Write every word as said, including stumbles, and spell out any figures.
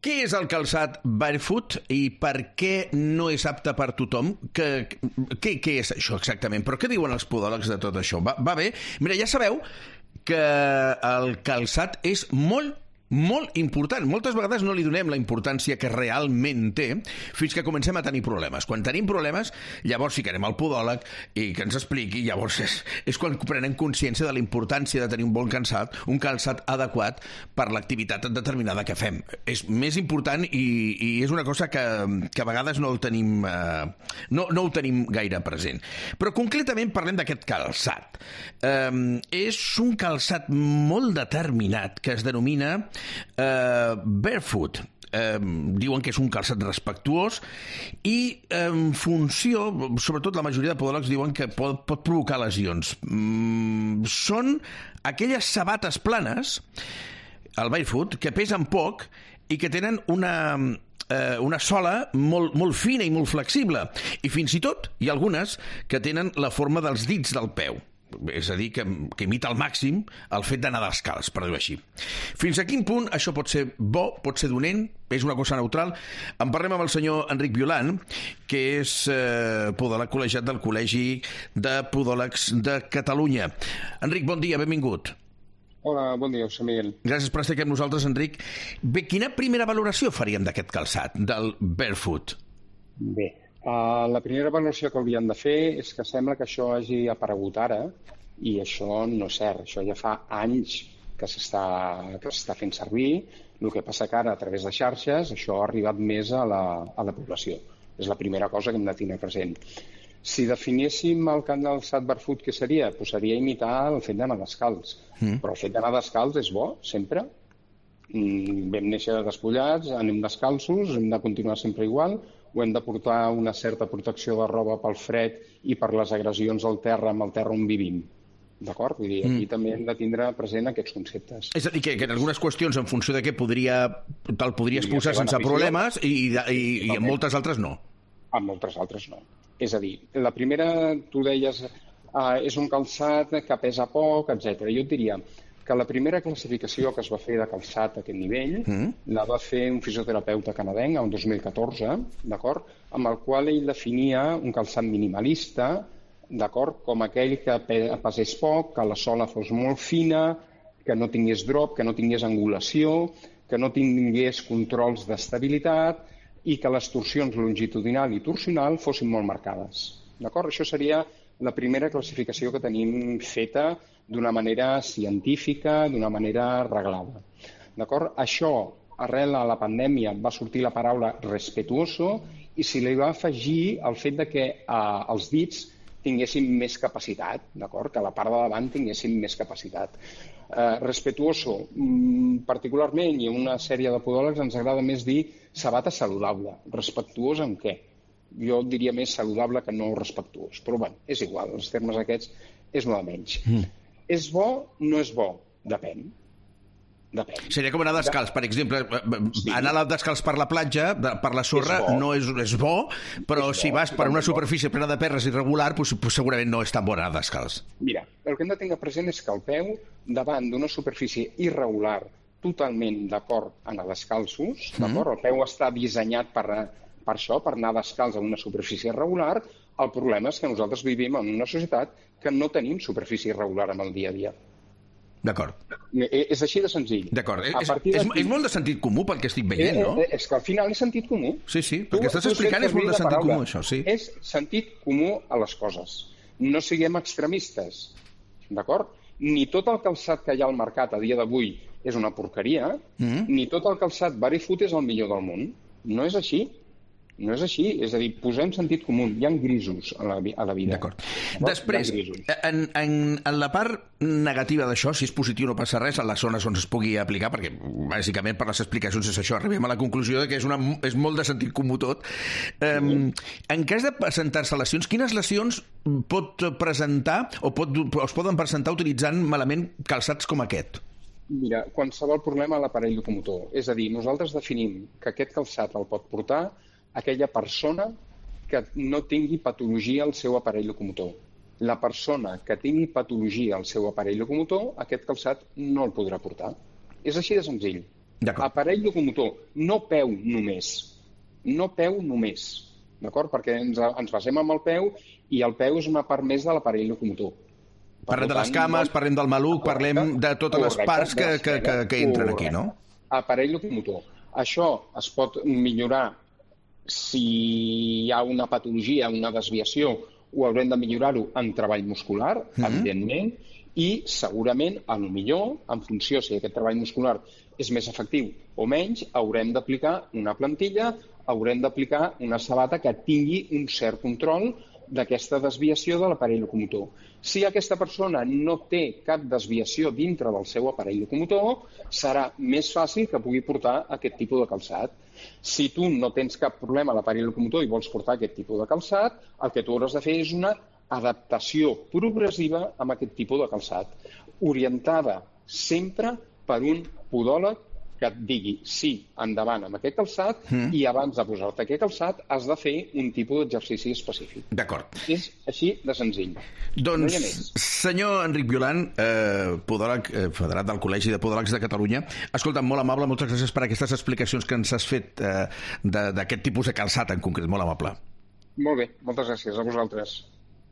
Què és el calçat barefoot i per què no és apte per tothom? Que, què, què és això exactament? Però què diuen els podòlegs de tot això? Va, va bé? Mira, ja sabeu que el calçat és molt molt important. Moltes vegades no li donem la importància que realment té fins que comencem a tenir problemes. Quan tenim problemes, llavors sí que anem al podòleg i que ens expliqui. Llavors és, és quan prenem consciència de la importància de tenir un bon calçat, un calçat adequat per l'activitat determinada que fem. És més important i, i és una cosa que, que a vegades no el tenim, eh, no, no ho tenim gaire present. Però concretament parlem d'aquest calçat. Eh, és un calçat molt determinat que es denomina Uh, barefoot. Uh, diuen que és un calçat respectuós i en funció, sobretot la majoria de podòlegs diuen que pot, pot provocar lesions. Mm, són aquelles sabates planes, el barefoot, que pesen poc i que tenen una... Eh, una sola molt, molt fina i molt flexible, i fins i tot hi ha algunes que tenen la forma dels dits del peu. És a dir, que, que imita al màxim el fet d'anar descalç, per dir-ho així. Fins a quin punt això pot ser bo, pot ser dolent, és una cosa neutral? En parlem amb el senyor Enric Violant, que és eh, podòleg col·legiat del Col·legi de Podòlegs de Catalunya. Enric, bon dia, benvingut. Hola, bon dia, José Miguel. Gràcies per estar aquí amb nosaltres, Enric. Bé, quina primera valoració faríem d'aquest calçat, del barefoot? Bé, Uh, la primera valoració que hauríem de fer és que sembla que això hagi aparegut ara i això no és cert. Això ja fa anys que s'està que s'està fent servir. El que passa que ara, a través de xarxes, això ha arribat més a la, a la població. És la primera cosa que hem de tenir present. Si definéssim el calçat barefoot, què seria? Pues seria imitar el fet d'anar descalç. Mm. Però el fet d'anar descalç és bo, sempre. Mm, vam néixer despullats, anem descalços, hem de continuar sempre igual, o hem de portar una certa protecció de roba pel fred i per les agressions al terra amb el terra on vivim. D'acord? Vull dir, aquí mm. també hem de tindre present aquests conceptes. És a dir, que, que en algunes qüestions, en funció de què podria, te'l podries posar sense problemes i, i, i, i en moltes altres no. En moltes altres no. És a dir, la primera, tu deies, uh, és un calçat que pesa poc, etcètera. Jo et diria que la primera classificació que es va fer de calçat a aquest nivell mm. la va fer un fisioterapeuta canadenc el dos mil catorze, d'acord, amb el qual ell definia un calçat minimalista, d'acord, com aquell que pesés poc, que la sola fos molt fina, que no tingués drop, que no tingués angulació, que no tingués controls d'estabilitat i que les torsions longitudinal i torsional fossin molt marcades. D'acord? Això seria la primera classificació que tenim feta d'una manera científica, d'una manera reglada. D'acord? Això, arrel a la pandèmia, va sortir la paraula respetuoso i se li va afegir el fet de que eh, els dits tinguessin més capacitat, d'acord? Que la part de davant tinguessin més capacitat. Eh, respetuoso, mm, particularment, i una sèrie de podòlegs ens agrada més dir sabata saludable. Respectuós en què? Jo diria més saludable que no respectuós. Però bé, és igual, els termes aquests és molt menys. Mm. És bo? No és bo? Depèn. Depèn. Seria com anar descalç, per exemple. Sí. Anar descalç per la platja, per la sorra, és no és, és bo, però és si bo, vas per una superfície plena de perres irregular, doncs, doncs segurament no és tan bo anar descalç. Mira, el que hem de tenir present és que el peu, davant d'una superfície irregular, totalment d'acord a anar descalços, mm. d'acord? El peu està dissenyat per, per això, per anar descalç a una superfície irregular. El problema és que nosaltres vivim en una societat que no tenim superfície irregular en el dia a dia. D'acord. És així de senzill. D'acord. És, és, és molt de sentit comú pel que estic veient, no? Eh, és que al final és sentit comú. Sí, sí, perquè estàs explicant és molt de sentit comú, això, sí. És sentit comú a les coses. No siguem extremistes, d'acord? Ni tot el calçat que hi ha al mercat a dia d'avui és una porqueria, mm. ni tot el calçat barefoot és el millor del món. No és així. No és així, és a dir, posem sentit comú. Hi ha grisos a la, a la vida. D'acord. Després, en, en, en la part negativa d'això, si és positiu no passa res, a les zones on es pugui aplicar, perquè bàsicament per les explicacions és això, arribem a la conclusió de que és, una, és molt de sentit comú tot. Um, en cas de presentar-se lesions, quines lesions pot presentar o, pot, o es poden presentar utilitzant malament calçats com aquest? Mira, qualsevol problema a l'aparell locomotor. És a dir, nosaltres definim que aquest calçat el pot portar aquella persona que no tingui patologia al seu aparell locomotor. La persona que tingui patologia al seu aparell locomotor, aquest calçat no el podrà portar. És així de senzill. Aparell locomotor, no peu només. No peu només, d'acord? Perquè ens, ens basem en el peu i el peu és una part més de l'aparell locomotor. Parlem de les cames, parlem del maluc, parlem de totes les parts que, que, que, que entren aquí, no? Aparell locomotor. Això es pot millorar si hi ha una patologia, una desviació, ho haurem de millorar-ho en treball muscular, mm-hmm. evidentment, i segurament, a lo millor, en funció si aquest treball muscular és més efectiu o menys, haurem d'aplicar una plantilla, haurem d'aplicar una sabata que tingui un cert control d'aquesta desviació de l'aparell locomotor. Si aquesta persona no té cap desviació dintre del seu aparell locomotor, serà més fàcil que pugui portar aquest tipus de calçat. Si tu no tens cap problema a l'aparell locomotor i vols portar aquest tipus de calçat, el que tu hauràs de fer és una adaptació progressiva amb aquest tipus de calçat, orientada sempre per un podòleg que et digui sí, endavant amb aquest calçat, mm. i abans de posar-te aquest calçat has de fer un tipus d'exercici específic. D'acord. És així de senzill. Doncs, no senyor Enric Violant, eh, podòleg, eh, federat del Col·legi de Podòlegs de Catalunya, escolta, molt amable, moltes gràcies per aquestes explicacions que ens has fet eh, d'aquest tipus de calçat en concret, molt amable. Molt bé, moltes gràcies a vosaltres.